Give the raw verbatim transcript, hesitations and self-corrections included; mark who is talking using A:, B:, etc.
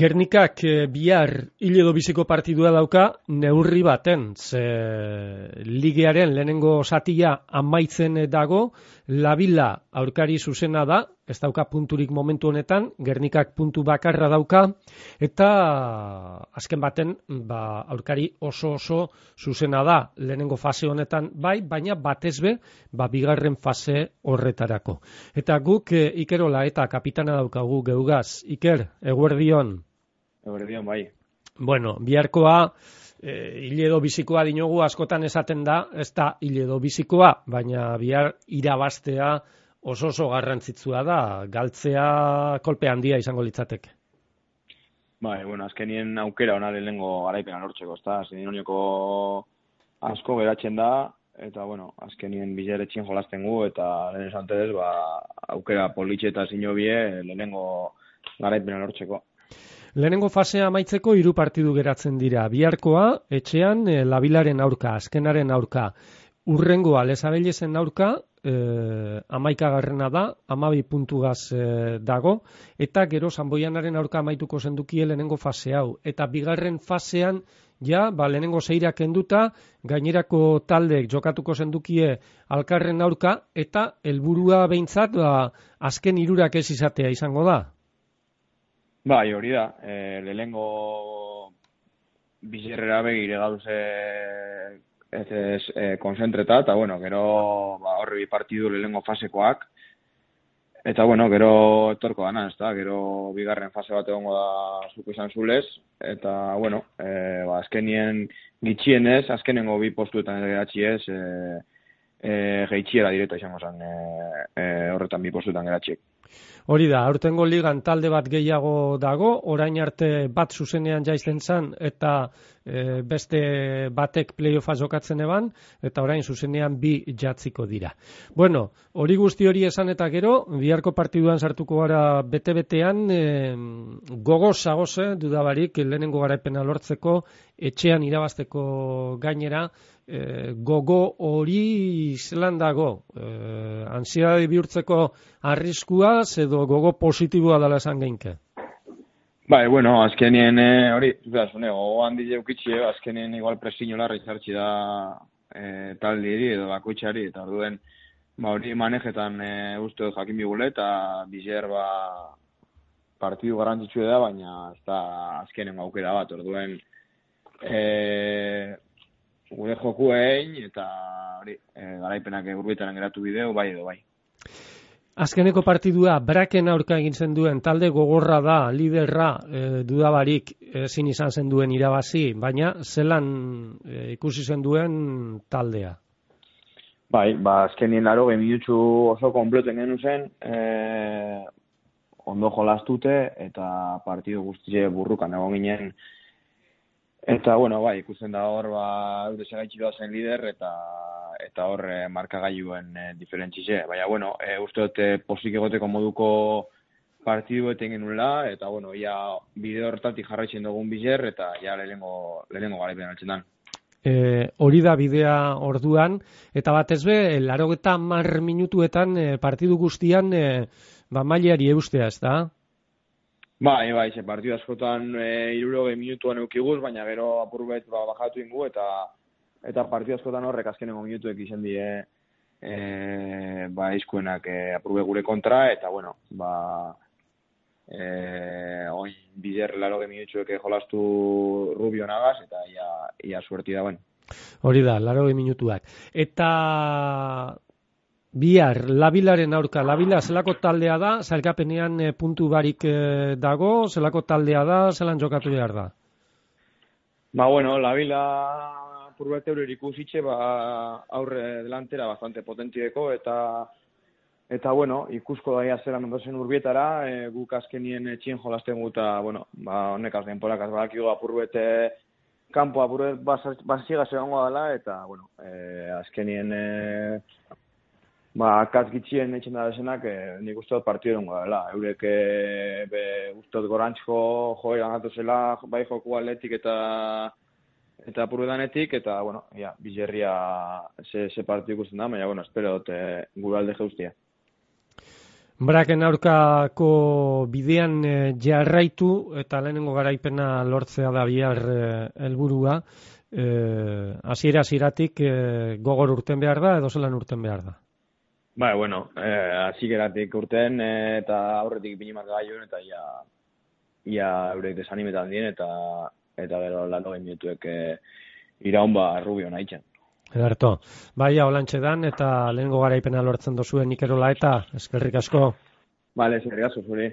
A: Gernikak e, bihar hil edo biziko partidua dauka neurri baten, ze ligearen lehenengo satia amaitzen dago, Labila aurkari zuzena da, ez dauka punturik momentu honetan, Gernikak puntu bakarra dauka, eta azken baten ba, aurkari oso oso zuzena da, lehenengo fase honetan bai, baina batez be, ba, bigarren fase horretarako. Eta guk e, Ikerola eta kapitana daukagu geugaz. Iker, eguerdion.
B: Eguerdion, bai.
A: Bueno, biharkoa, e, hil edo bizikoa dinogu askotan esaten da, ez da hil edo bizikoa, baina bihar irabaztea oso oso garrantzitsua da, galtzea kolpe handia izango litzateke.
B: Bai, bueno, azkenien aukera ona lehenengo garaipena lortzeko, ezta? Azkenien honioko asko geratzen da, eta, bueno, azkenien bilaretxien jolasten gu, eta lehen esan tedez, ba, aukera politxe eta zinobie lehenengo garaipena lortzeko.
A: Lehenengo fasea amaitzeko hiru partidu geratzen dira. Biharkoa, etxean, e, Labilaren aurka, azkenaren aurka. Urrengoa, Lesabelesen aurka, e, amaikagarrena da, amabi puntugaz e, dago, eta gero Sanboianaren aurka amaituko zendukie lehenengo fase hau. Eta bigarren fasean, ja, ba, lehenengo zeirak kenduta, gainerako taldeek jokatuko zendukie Alkarren aurka, eta helburua behintzat, ba, azken hirurak ez izatea izango da.
B: Bai, hori da, e, lehenengo bizerrera begire gauze ez ez e, konzentreta, eta bueno, gero ba, horre bi partidu lehenengo fasekoak, eta bueno, gero etorko dana, ez da, gero bigarren fase bat egongo da zuko izan zulez, eta bueno, e, ba, azkenien gitxienez, azkenengo bi postuetan geratzi ez, e, e, geitxiera direta izango zen e, e, horretan bi postuetan geratziek.
A: Hori da, aurtengo ligan talde bat gehiago dago, orain arte bat zuzenean jaisten zan, eta e, beste batek playoffa jokatzen eban, eta orain zuzenean bi jatziko dira. Bueno, hori guzti hori esan eta gero, biharko partiduan sartuko gara bete-betean, e, gogoz zagoze, dudabarik, lehenengo garaipena lortzeko, etxean irabazteko gainera, e, gogo hori zelan dago, e, ansiedade bihurtzeko arriskua, edo gogo positiboa dela esan geinke?
B: Bai, bueno, azkenien eh, hori, zuzune, gogo handi jeukitxie, azkenien igual presiño larri zartxi da eh, taldieri edo bakoitzari, eta orduen, ba hori manejetan eh, uste dut jakin bigule, eta bizer ba partidu garrantzitsua da, baina ez da azkenen aukera bat, orduen eh, gure joku egin, eta hori, eh, garaipenak urbitaran geratu bideo, bai edo bai.
A: Azkeneko partidua Braken aurka egin zen duen talde gogorra da, liderra e, dudabarik ezin izan zen duen irabazi, baina zelan e, ikusi zen duen taldea?
B: Bai, ba, azkenien laro minutsu oso kompleten genuen zen, e, ondo jolastute eta partidu guztie burrukan egon ginen. Eta, bueno, bai, ikusten da hor, ba, eure segaitxi zen lider, eta eta hor e, markagailuen e, diferentzize. Baina, bueno, e, uste dut e, posik egoteko moduko partidu eten genuela, eta, bueno, ia bideo hortatik jarraitzen dugun bizer, eta ja lehenengo, lehenengo garaipen altzen dan.
A: E, hori da bidea orduan, eta batez be, larogeta mar minutuetan e, partidu guztian e, ba, mailari eustea, ez da?
B: Bai, bai, ze partidu askotan e, iruroge minutuan eukiguz, baina gero apurbet ba, bajatu ingu, eta eta partidu askotan horrek azkenengo minutuek izan die e, ba, izkuenak e, apurbe gure kontra, eta bueno, ba, e, oin bider laroge minutuek jolastu Rubio nagaz, eta ia, ia suerti dauen.
A: Hori da, laroge minutuak. Eta bihar, Labilaren aurka, Labila zelako taldea da, zailkapenean e, puntu barik e, dago, zelako taldea da, zelan jokatu behar da?
B: Ba, bueno, Labila purbete hori ikusitxe, ba, aurre delantera bastante potentieko, eta eta, bueno, ikusko daia zelan ondozen urbietara, e, guk azkenien etxien jolasten gu, eta, bueno, ba, honekaz denporakaz badakigu apurbete kanpo apurbet basiga segongo dela, eta, bueno, e, azkenien e, ba, katzgitxien etxen da desenak, e, nik uste dut partidu dengo dela. Eurek e, be, uste dut gorantzko joera gatu zela, bai joku atletik eta eta apurbedanetik, eta, bueno, ja, bizerria ze, ze partidu ikusten da, baina, bueno, espero dut e, gure alde jeustia.
A: Braken aurkako bidean e, jarraitu eta lehenengo garaipena lortzea da bihar helburua. E, hasiera hasieratik e, gogor urten behar da edo zelan urten behar da?
B: Bai, bueno, hasieratik eh, urten eh, eta aurretik ipini marka gaioen eta ia, ia eurek desanimetan dien eta eta gero latogei minutuek eh, iraun ba Rubio nahitzen.
A: Ederto, baia holantxe dan eta lehenengo garaipena lortzen dozuen Ikerola eta eskerrik asko.
B: Vale, eskerrik asko zuri.